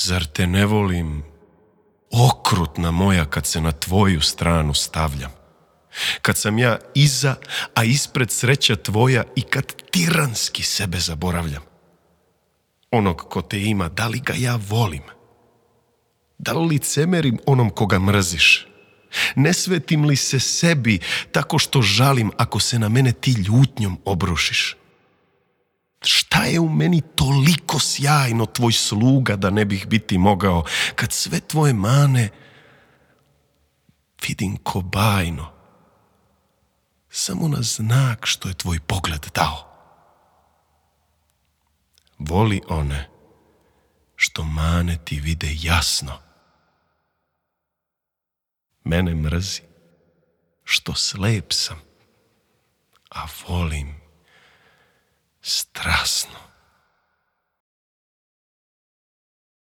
Zar te ne volim, okrutna moja, kad se na tvoju stranu stavljam? Kad sam ja iza, a ispred sreća tvoja, i kad tiranski sebe zaboravljam? Onog ko te ima, da li ga ja volim? Da li licemerim onom koga mrziš? Ne svetim li se sebi tako što žalim ako se na mene ti ljutnjom obrušiš? Šta je u meni toliko sjajno, tvoj sluga, da ne bih biti mogao, kad sve tvoje mane vidim ko bajno, samo na znak što je tvoj pogled dao? Voli one što mane ti vide jasno. Mene mrzi što slep sam, a volim strasno.